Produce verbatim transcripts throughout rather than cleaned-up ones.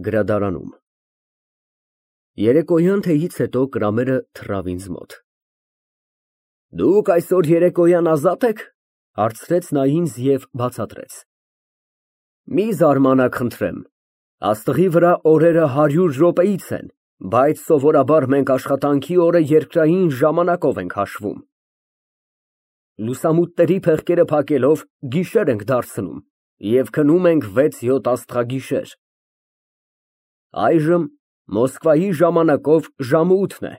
Գրադարանում Երեկոյան թեյից հետո Կրամերը թռավ ինձ մոտ։ Դուք այսօր երեկոյան ազատ ե՞ք, հարցրեց նա ինձ և բացատրեց։ Մի զարմանաք, խնդրեմ, աստղի վրա օրերը հարյուր րոպեից են, բայց սովորաբար մենք աշխատանքի օրը երկրային ժամանակով ենք հաշվում։ Լուսամուտների փեղկերը փակելով գիշեր ենք դարձնում և քնում ենք վեց֊յոթ աստղագիշեր։ Այժմ Մոսկվայի ժամանակով ժամը ութն է,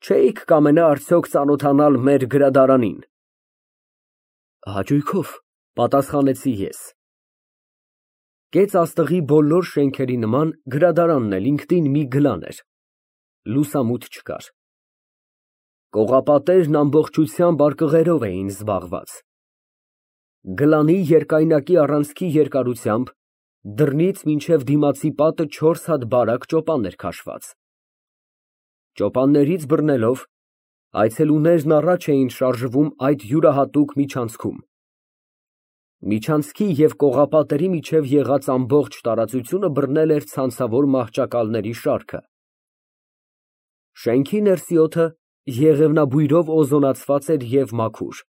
չէի՞ք կամենա արդյոք ծանոթանալ մեր գրադարանին։ Հաճույքով, պատասխանեցի ես։ Կեց աստղի բոլոր շենքերի նման գրադարանն էլ ինքնին մի գլան էր, լուսամուտ չկար։ Կողապատերն ամբողջությամբ արկղերով էին զբաղված։ Գլանի երկայնակի առանցքի երկարությամբ դռնից մինչև դիմացի պատը չորս հատ բարակ ճոպան էր քաշված։ Ճոպաններից բռնելով, այցելուներն առաջ էին շարժվում այդ յուրահատուկ միջանցքում։ Միջանցքի և կողապատերի միջև եղած ամբողջ տարածությունը բռնել էր ցանցավոր մահճակալների շարքը։ Շենքի ներսի օդը եղևնաբույրով օզոնացված էր և մաքուր։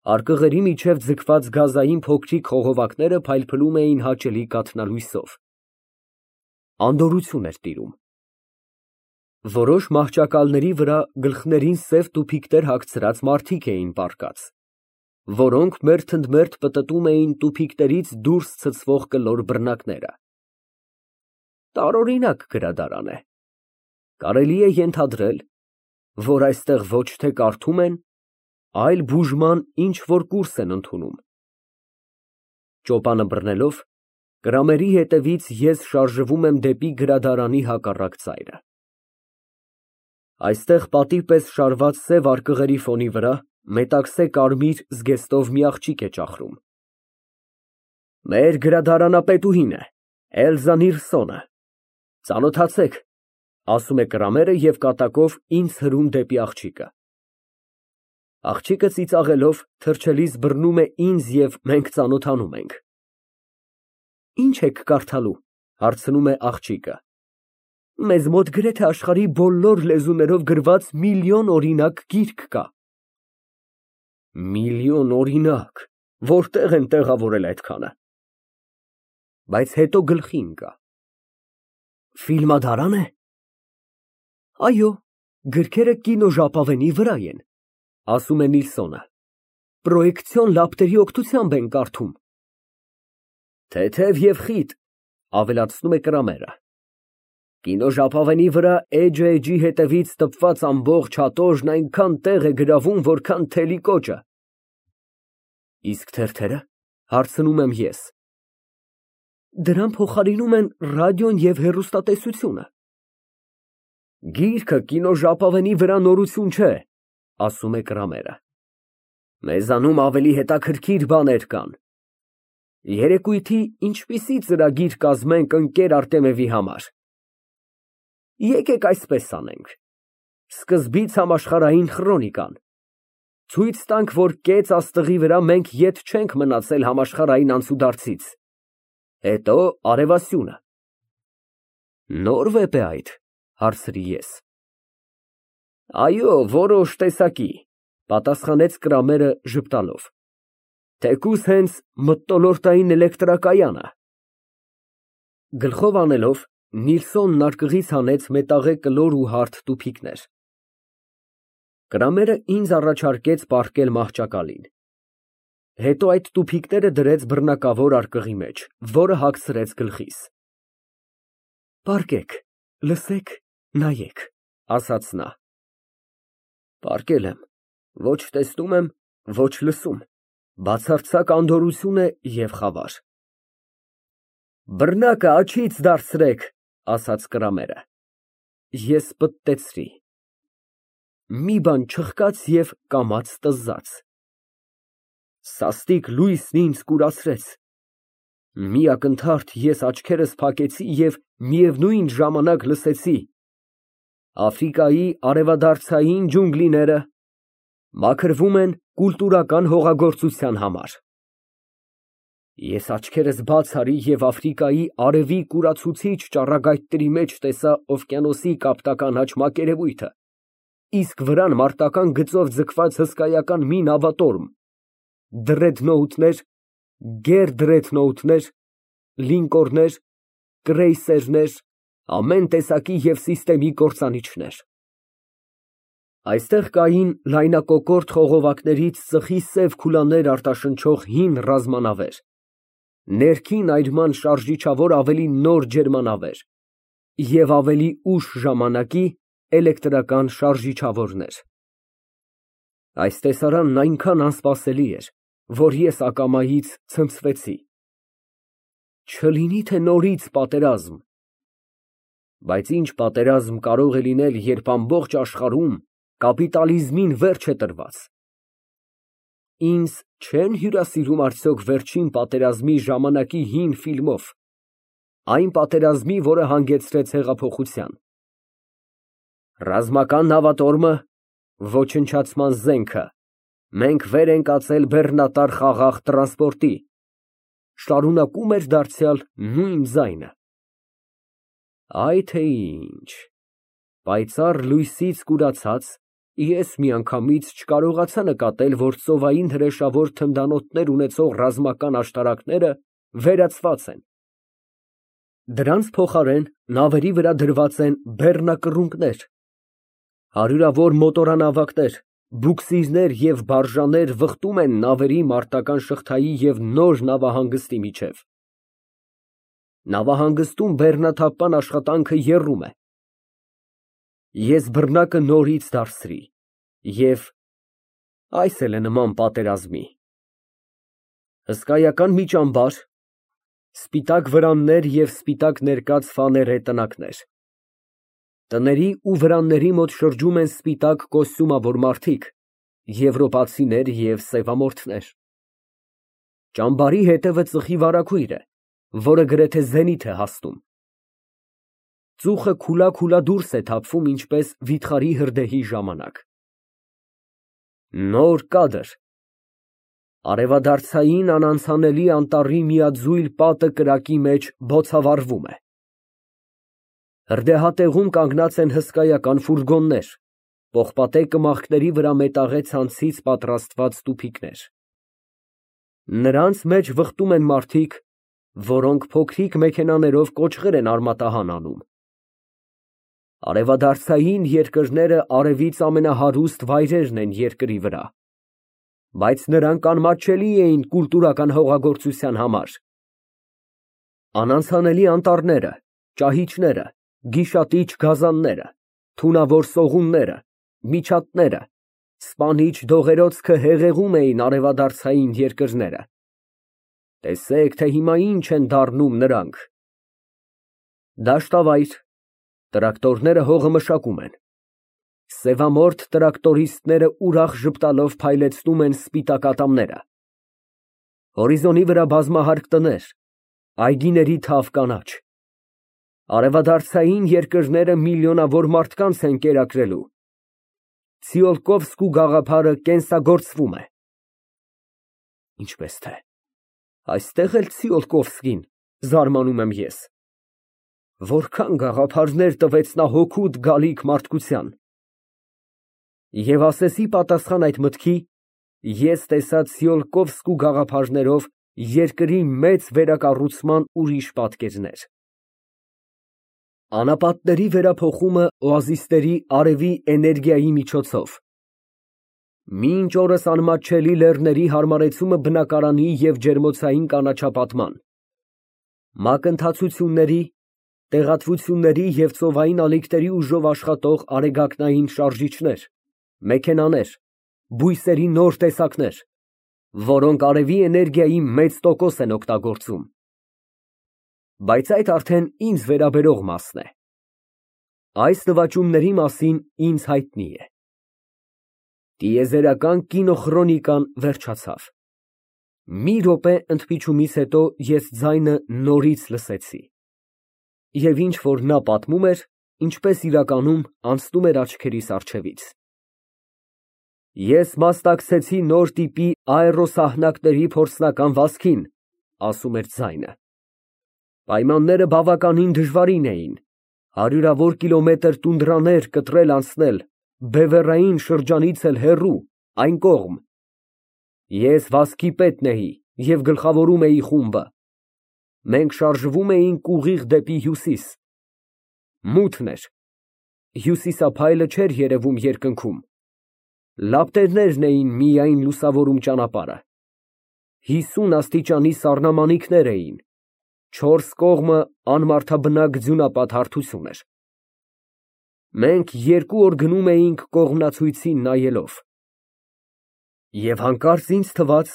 Արկղերի միջև ձգված գազային փոքրիկ խողովակները փայլփլում էին հաճելի կաթնալույսով։ Անդորրություն էր տիրում։ Որոշ մահճակալների վրա գլխներին սև տուփիկներ հագցրած մարդիկ էին պառկած, որոնք մերթընդմերթ պտտում էին տուփիկներից դուրս ցցվող կլոր բռնակները։ Տարօրինակ գրադարան է։ Կարելի է ենթադրել, որ այստեղ ոչ թե կարդում են, այլ բուժման ինչ֊որ կուրս են ընդունում։ Ճոպանը բռնելով, Կրամերի հետևից ես շարժվում եմ դեպի գրադարանի հակառակ ծայրը։ Այստեղ պատի պես շարված սև արկղերի ֆոնի վրա մետաքսե կարմիր զգեստով մի աղջիկ է ճախրում։ Մեր գրադարանապետուհին է, Էլզա Նիլսոնը, ծանոթացեք, ասում է Կրամերը և կատակով ինձ հրում դեպի աղջիկը։ Աղջիկը ծիծաղելով թրջելիս բռնում է ինձ և մենք ծանոթանում ենք։ Ի՞նչ եք կարդալու, հարցնում է աղջիկը։ Մեզ մոտ գրեթե աշխարհի բոլոր լեզուներով գրված միլիոն օրինակ գիրք կա։ Միլիոն օրինակ, որտե՞ղ են տեղավորել այդքանը։ Բայց հետո գլխի ընկա։ Ֆիլմադարան է։ Այո, գրքերը կինոժապավենի վրա են, ասում է Նիլսոնը, պրոյեկցիոն լապտերի օգնությամբ են կարդում։ Թեթև և խիտ, ավելացնում է Կրամերը։ Կինոժապավենի վրա էջը էջի հետևից տպված ամբողջ հատոժն այնքան տեղ է գրավում, որքան թելի կոճը։ Իսկ թերթերը, հարցնում եմ ես։ Դրան փոխարինում են ռադիոն և հեռուստատեսությունը։ Գիրքը կինոժապավենի վրա նորություն չէ, ասում է Կրամերը։ Մեզանում ավելի հետաքրքիր բաներ կան։ Երեկույթի ինչպիսի ծրագիր կազմենք ընկեր Արտեմևի համար։ Եկեք այսպես անենք. Սկզբից համաշխարհային խրոնիկան, ցույց տանք, որ կեց աստղի վրա մենք ետ չենք մնացել համաշխարհային անցուդարձից, հետո արևասյունը։ Նոր վեպ է այդ, հարցրի ես։ Այո, որոշ տեսակի, պատասխանեց Կրամերը ժպտալով, թեկուզ հենց մթնոլորտային էլեկտրակայանը։ Գլխով անելով, Նիլսոնն արկղից հանեց մետաղե կլոր ու հարթ տուփիկներ։ Կրամերը ինձ առաջարկեց պառկել մահճակալին։ Հետո այդ տուփիկները դրեց բռնակավոր արկղի մեջ, որը հագցրեց գլխիս։ Պառկեք, լսեք, նայեք, ասաց նա։ Պառկել եմ, ոչ տեսնում եմ, ոչ լսում, բացարձակ անդորրություն է և խավար։ Բռնակը աջից դարձրեք, ասաց Կրամերը։ Ես պտտեցրի։ Մի բան չխկաց և կամաց տզաց։ Սաստիկ լույսն ինձ կուրացրեց։ Մի ակնթարթ ես աչքերս փակեցի և միևնույն ժամանակ լսեցի. Աֆրիկայի արևադարձային ջունգլիները մաքրվում են կուլտուրական հողագործության համար։ Ես աչքերս բաց արի և Աֆրիկայի արևի կուրացուցիչ ճառագայթների մեջ տեսա օվկիանոսի կապտական աջ մակերևույթը, իսկ վրան մարտական գծով ձգված հսկայական մի նավատորմ, դրեդնոութներ, գերդրեդնոութներ, լինկորներ, կրեյսերներ, ամեն տեսակի և սիստեմի կործանիչներ։ Այստեղ կային լայնակոկորդ խողովակներից ծխի սև քուլաներ արտաշնչող հին ռազմանավեր, ներքին այրման շարժիչավոր ավելի նոր ջերմանավեր և ավելի ուշ ժամանակի էլեկտրական շարժիչավորներ։ Այս տեսարանն այնքան անսպասելի էր, որ ես ակամայից ցնցվեցի։ Չլինի թե նորից պատերազմ։ Բայց ինչ պատերազմ կարող է լինել, երբ ամբողջ աշխարհում կապիտալիզմին վերջ է տրված։ Ինձ չե՞ն հյուրասիրում արդյոք վերջին պատերազմի ժամանակի հին ֆիլմով, այն պատերազմի, որը հանգեցրեց հեղափոխության։ Ռազմական նավատորմը, ոչնչացման զենքը, մենք վեր ենք ածել բեռնատար խաղաղ տրանսպորտի, շարունակում էր դարձյալ նույն ձայնը։ Այ թե ինչ, պայծառ լույսից կուրացած, ես միանգամից չկարողացա նկատել, որ ծովային հրեշավոր թնդանոթներ ունեցող ռազմական աշտարակները վերացված են։ Դրանց փոխարեն նավերի վրա դրված են բեռնակռունկներ, հարյուրավոր մոտորանավակներ, բուքսիրներ և բարժաներ վխտում են նավերի մարտական շղթայի և նոր նավահանգստի միջև։ Նավահանգստում բեռնաթափման աշխատանքը եռում է։ Ես բռնակը նորից դարձրի և այս էլ է նման պատերազմի։ Հսկայական մի ճամբար, սպիտակ վրաններ և սպիտակ ներկած ֆաներե տնակներ։ Տների ու վրանների մոտ շրջում են սպիտակ կոստյումավոր մարդիկ, եվրոպացիներ և սևամորթներ։ Ճամբարի հետևը ծխի վարագույր է, որը գրեթե զենիթ է հասնում։ Ծուխը քուլա֊քուլա դուրս է թափվում, ինչպես վիթխարի հրդեհի ժամանակ։ Նոր կադր։ Արևադարձային անանցանելի անտառի միաձույլ պատը կրակի մեջ բոցավառվում է։ Հրդեհատեղում կանգնած են հսկայական ֆուրգոններ, պողպատե կմախքների վրա մետաղե ցանցից պատրաստված տուփիկներ։ Նրանց մեջ վխտում են մարդիկ, որոնք փոքրիկ մեքենաներով կոճղեր են արմատահան անում։ Արևադարձային երկրները արևից ամենահարուստ վայրերն են երկրի վրա, բայց նրանք անմատչելի էին կուլտուրական հողագործության համար։ Անանցանելի անտառները, ճահիճները, գիշատիչ գազանները, թունավոր սողունները, միջատները, սպանիչ դողերոցքը հեղեղում էին արևադարձային երկրները։ Տեսեք, թե հիմա ինչ են դառնում նրանք։ Դաշտավայր, տրակտորները հողը մշակում են։ Սևամորթ տրակտորիստները ուրախ ժպտալով փայլեցնում են սպիտակ ատամները։ Հորիզոնի վրա բազմահարկ տներ, այգիների թավ կանաչ։ Արևադարձային երկրները միլիոնավոր մարդկանց են կերակրելու։ Ցիոլկովսկու գաղափարը կենսագործվում է։ Ինչպես թե, այստեղ էլ Ցիոլկովսկին, զարմանում եմ ես։ Որքան գաղափարներ տվեց նա հոգուտ գալիք մարդկության։ Եվ ասեսի պատասխան այդ մտքի, ես տեսա Ցիոլկովսկու գաղափարներով երկրի մեծ վերակառուցման ուրիշ պատկերներ։ Անապատների վերափոխումը օազիսների արևի էներգիայի միջոցով։ Մինչ օրս անմատչելի լեռների հարմարեցումը բնակարանի և ջերմոցային կանաչապատման։ Մակընթացությունների, տեղատվությունների և ծովային ալիքների ուժով աշխատող արեգակնային շարժիչներ, մեքենաներ, բույսերի նոր տեսակներ, որոնք արևի էներգիայի մեծ տոկոս են օգտագործում։ Բայց այդ արդեն ինձ վերաբերող մասն է։ Այս նվաճումների մասին ինձ հայտնի է։ Տիեզերական կինոխրոնիկան վերջացավ։ Մի րոպե ընդմիջումից հետո ես ձայնը նորից լսեցի։ Եվ ինչ որ նա պատմում էր, ինչպես իրականում անցնում էր աչքերիս առջևից։ Ես մասնակցեցի նոր տիպի աերոսահնակների փորձնական վազքին, ասում էր ձայնը։ Պայմանները բավականին դժվարին էին, հարյուրավոր կիլոմետր տունդրաներ կտրել անցնել, բևեռային շրջանից էլ հեռու, այն կողմ։ Ես վազքի պետն էի և գլխավորում էի խումբը։ Մենք շարժվում էինք ուղիղ դեպի հյուսիս։ Մութն էր, հյուսիսափայլը չէր երևում երկնքում, լապտերներն էին միայն լուսավորում ճանապարհը։ Հիսուն աստիճանի սառնամանիքներ էին, չորս կողմը անմարդաբնակ ձյունապատ հարթություն էր։ Մենք երկու օր գնում էինք կողմնացույցին նայելով։ Եվ հանկարծ ինձ թվաց,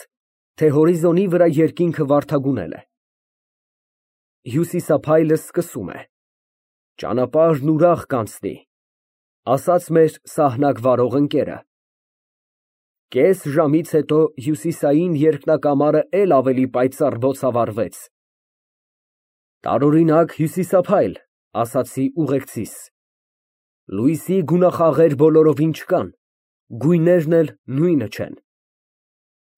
թե հորիզոնի վրա երկինքը վարդագունել է։ Հյուսիսափայլը սկսում է. «Ճանապարհն ուրախ կանցնի», ասաց մեր սահնակ վարող ընկերը։ Կես ժամից հետո հյուսիսային երկնակամարը էլ ավելի պայծառ բոցավառվեց։ «Տարօրինակ հյուսիսափայլ», ասացի ուղեկցիս։ Լույսի գունախաղեր բոլորովին չկան, գույներն էլ նույնը չեն։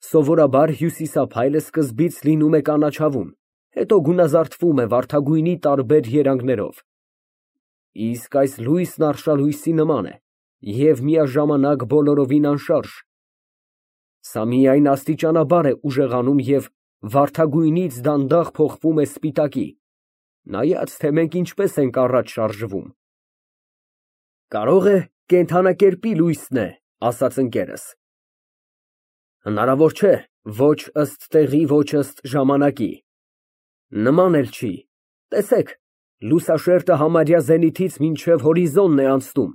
Սովորաբար հյուսիսափայլը սկզբից լինում է կանաչավուն, հետո գունազարդվում է վարդագույնի տարբեր երանգներով, իսկ այս լույսն արշալույսի նման է և միաժամանակ բոլորովին անշարժ։ Սա միայն աստիճանաբար է ուժեղանում և վարդագույնից դանդաղ փոխվում է սպիտակի, նայած թե մենք ինչպես ենք առաջ շարժվում։ Կարող է կենդանակերպի լույսն է, ասաց ընկերս։ Հնարավոր չէ, ոչ ըստ տեղի, ոչ ըստ ժամանակի։ Նման էլ չի, տեսեք, լուսաշերտը համարյա զենիթից մինչև հորիզոնն է անցնում,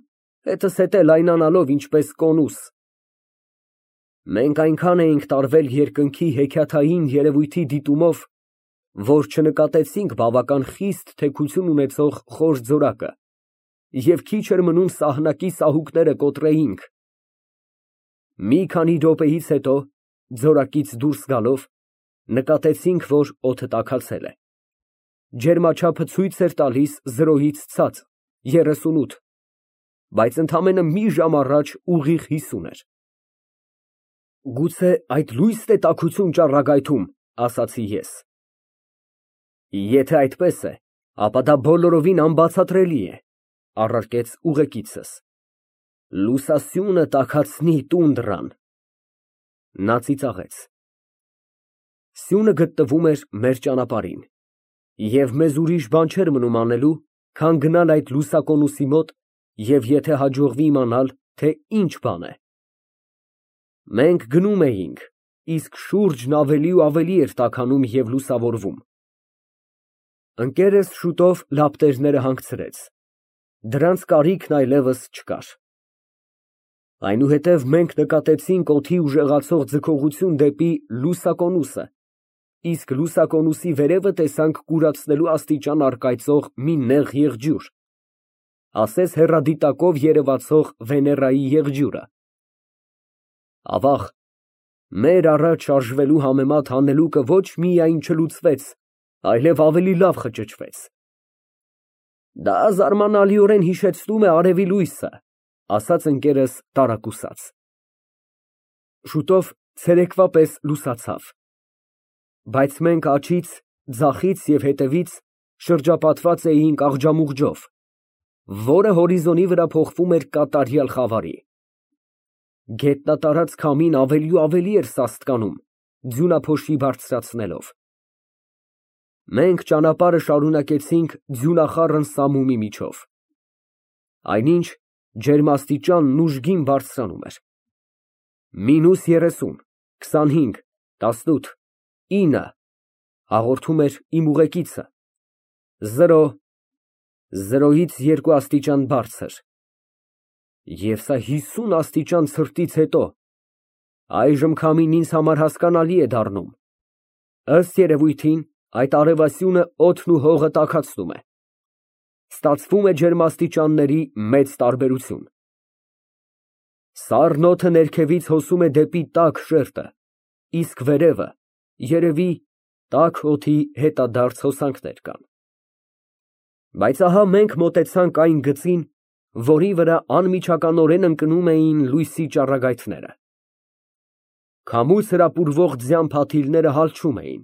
հետզհետե հետ լայնանալով ինչպես կոնուս։ Մենք այնքան էինք տարվել երկնքի հեքիաթային երևույթի դիտումով, որ չնկատեցինք բավական խիստ թեքություն ունեցող խոր ձորակը, և քիչ էր մնում սահնակի սահուկները կոտրեինք։ Մի քանի րոպեից հետո, ձորակից դուրս գալով, նկատեցինք, որ օդը տաքացել է։ Ջերմաչափը ցույց էր տալիս զրոյից ցած, երեսունութ, բայց ընդամենը մի ժամ առաջ ուղիղ հիսուն էր։ Գուցե այդ լույսն է տաքություն ճառագայթում, ասացի ես։ Եթե այդպես է, ապա դա բոլորովին անբացատրելի է, առարկեց ուղեկիցս։ Լուսասյունը տաքացնի տունդրան։ Նա ծիծաղեց։ Սյունը գտնվում էր մեր ճանապարհին, և մեզ ուրիշ բան չէր մնում անելու, քան գնալ այդ լուսակոնուսի մոտ և եթե հաջողվի իմանալ, թե ինչ բան է։ Մենք գնում էինք, իսկ շուրջն ավելի ու ավելի էր տաքանում և լուսավորվում։ Ընկերս շուտով լապտերները հանգցրեց, դրանց կարիքն այլևս չկար։ Այնուհետև մենք նկատեցինք օդի ուժեղացող ձգողություն դեպի լուսակոնուսը, իսկ լուսակոնուսի վերևը տեսանք կուրացնելու աստիճան առկայծող մի նեղ եղջյուր, ասես հեռադիտակով երևացող Վեներայի եղջյուրը։ Ավաղ, մեր առաջ շարժվելու համեմատ հանելուկը ոչ միայն չլուծվեց, այլև ավելի լավ խճճվեց։ Դա զարմանալիորեն հիշեցնում է արևի լույսը, ասաց ընկերս տարակուսած։ Շուտով ցերեկվա պես լուսացավ, բայց մենք աջից, ձախից և հետևից շրջապատված էինք աղջամուղջով, որը հորիզոնի վրա փոխվում էր կատարյալ խավարի։ Գետնատարած քամին ավելի ու ավելի էր սաստկանում, ձյունափոշի բարձրացնելով։ Մենք ճանապարհը շարունակեցինք ձյունախառն սամումի միջով։ Այնինչ ջերմաստիճանն ուժգին բարձրանում էր։ Մինուս երեսուն, քսանհինգ, տասնութ, ինը, հաղորդում էր իմ ուղեկիցը, զրո, զրոյից երկու աստիճան բարձր։ Եվ սա հիսուն աստիճան ցրտից հետո, այժմ քամին ինձ համար հասկանալի է դառնում։ Ըստ երևույթին, այդ արևասյունը օդն ու հողը տաքացնում է։ Ստացվում է ջերմաստիճանների մեծ տարբերություն։ Սառն օդը ներքևից հոսում է դեպի տաք շերտը, իսկ վերևը, երևի, տաք օդի հետադարձ հոսանքներ կան։ Բայց ահա մենք մոտեցանք այն գծին, որի վրա անմիջականորեն ընկնում էին լույսի ճառագայթները։ Քամուց հրապուրվող ձյան փաթիլները հալչում էին։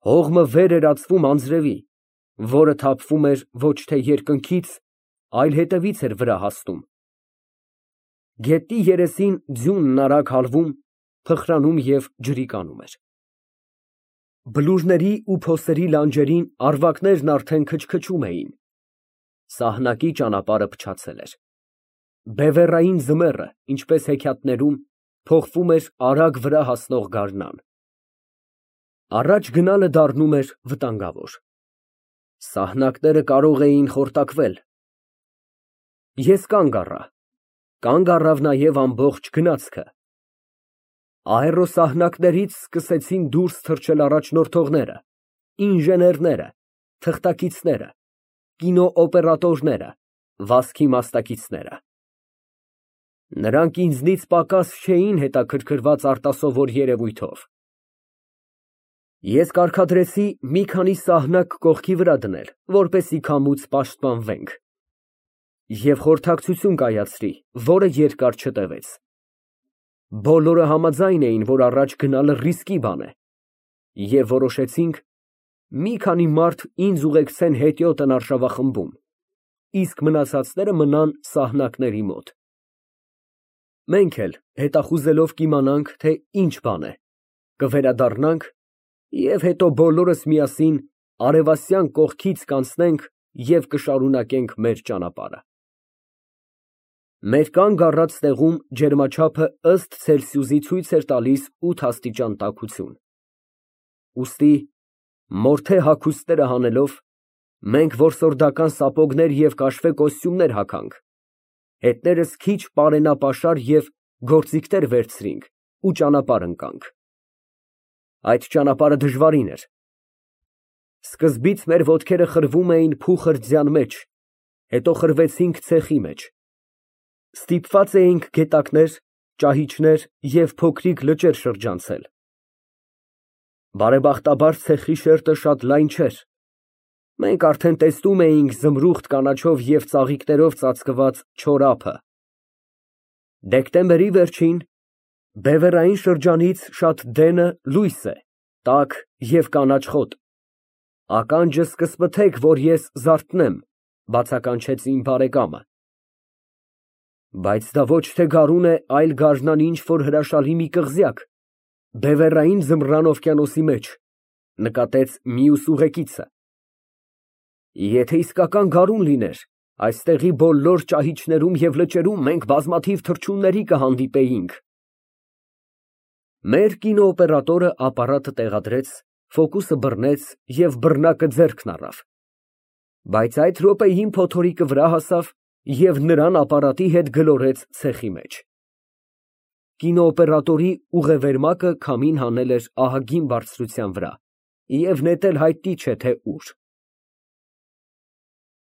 Հողմը վեր էր ածվում անձրևի, որը թափվում էր ոչ թե երկնքից, այլ հետևից էր վրա հասնում։ Գետնի երեսին ձյունն արագ հալվում, փխրանում և ջրի կանում էր։ Բլուրների ու փոսերի լանջերին առվակներն արդեն քչքչում էին։ Սահնակի ճանապարհը փչացել էր։ Բևեռային ձմեռը, ինչպես հեքիաթներում, փոխվում էր արագ վրա հասնող գարնան։ Առաջ գնալը դառնում էր վտանգավոր։ Սահնակները կարող էին խորտակվել։ Ես կանգ առա, կանգ առավ նաև ամբողջ գնացքը։ Աերոսահնակներից սկսեցին դուրս թռչել առաջնորդողները, ինժեներները, թղթակիցները, կինոօպերատորները, վազքի մասնակիցները։ Նրանք ինձնից պակաս չէին հետաքրքրված արտասովոր երևույթով։ Ես կարգադրեցի մի քանի սահնակ կողքի վրա դնել, որպեսզի քամուց պաշտպանվենք, և խորհրդակցություն կայացրի, որը երկար չտևեց։ Բոլորը համաձայն էին, որ առաջ գնալը ռիսկի բան է, և որոշեցինք մի քանի մարդ ինձ ուղեկցեն հետիոտն արշավախմբում, իսկ մնացածները մնան սահնակների մոտ։ Մենք էլ, հետախուզելով կիմանանք, թե ինչ բան է, կվերադառնանք և հետո բոլորս միասին արևասյան կողքից կանցնենք և կշարունակենք մեր ճանապարհը։ Մեր կանգ առած տեղում ջերմաչափը ըստ Ցելսիուսի ցույց էր տալիս ութ աստիճան տաքություն։ Ուստի, մորթե հագուստները հանելով, մենք որսորդական սապոգներ և կաշվե կոստյումներ հագանք, հետներս քիչ պարենապաշար և գործիքներ վերցրինք ու ճանապարհ ընկանք։ Այդ ճանապարհը դժվարին էր։ Սկզբից մեր ոտքերը խրվում էին փուխր ձյան մեջ, հետո խրվեցինք ցեխի մեջ։ Ստիպված էինք գետակներ, ճահիճներ և փոքրիկ լճեր շրջանցել։ Բարեբախտաբար ցեխի շերտը շատ լայն չէր։ Մենք արդեն տեսնում էինք զմրուխտ կանաչով և ծաղիկներով ծածկված չոր ափը։ Դեկտեմբերի վերջին, բևեռային շրջանից շատ դենը լույս է, տաք և կանաչ խոտ։ Ականջս կսպթեք, որ ես զարթնեմ, բացականչեց իմ բարեկամը։ Բայց դա ոչ թե գարուն է, այլ գարնան ինչ֊որ հրաշալի մի կղզյակ, բևեռային ձմռան օվկիանոսի մեջ, նկատեց մյուս ուղեկիցը։ Եթե իսկական գարուն լիներ, այստեղի բոլոր ճահիճներում և լճերում մենք բազմաթիվ թռչունների կհանդիպեինք։ Մեր կինոօպերատորը ապարատը տեղադրեց, ֆոկուսը բռնեց և բռնակը ձեռքն առավ։ Բայց այդ րոպեին փոթորիկը վրա հասավ և նրան ապարատի հետ գլորեց ցեխի մեջ։ Կինոօպերատորի ուղեվերմակը քամին հանել էր ահագին բարձրության վրա և նետել հայտնի չէ թե ուր։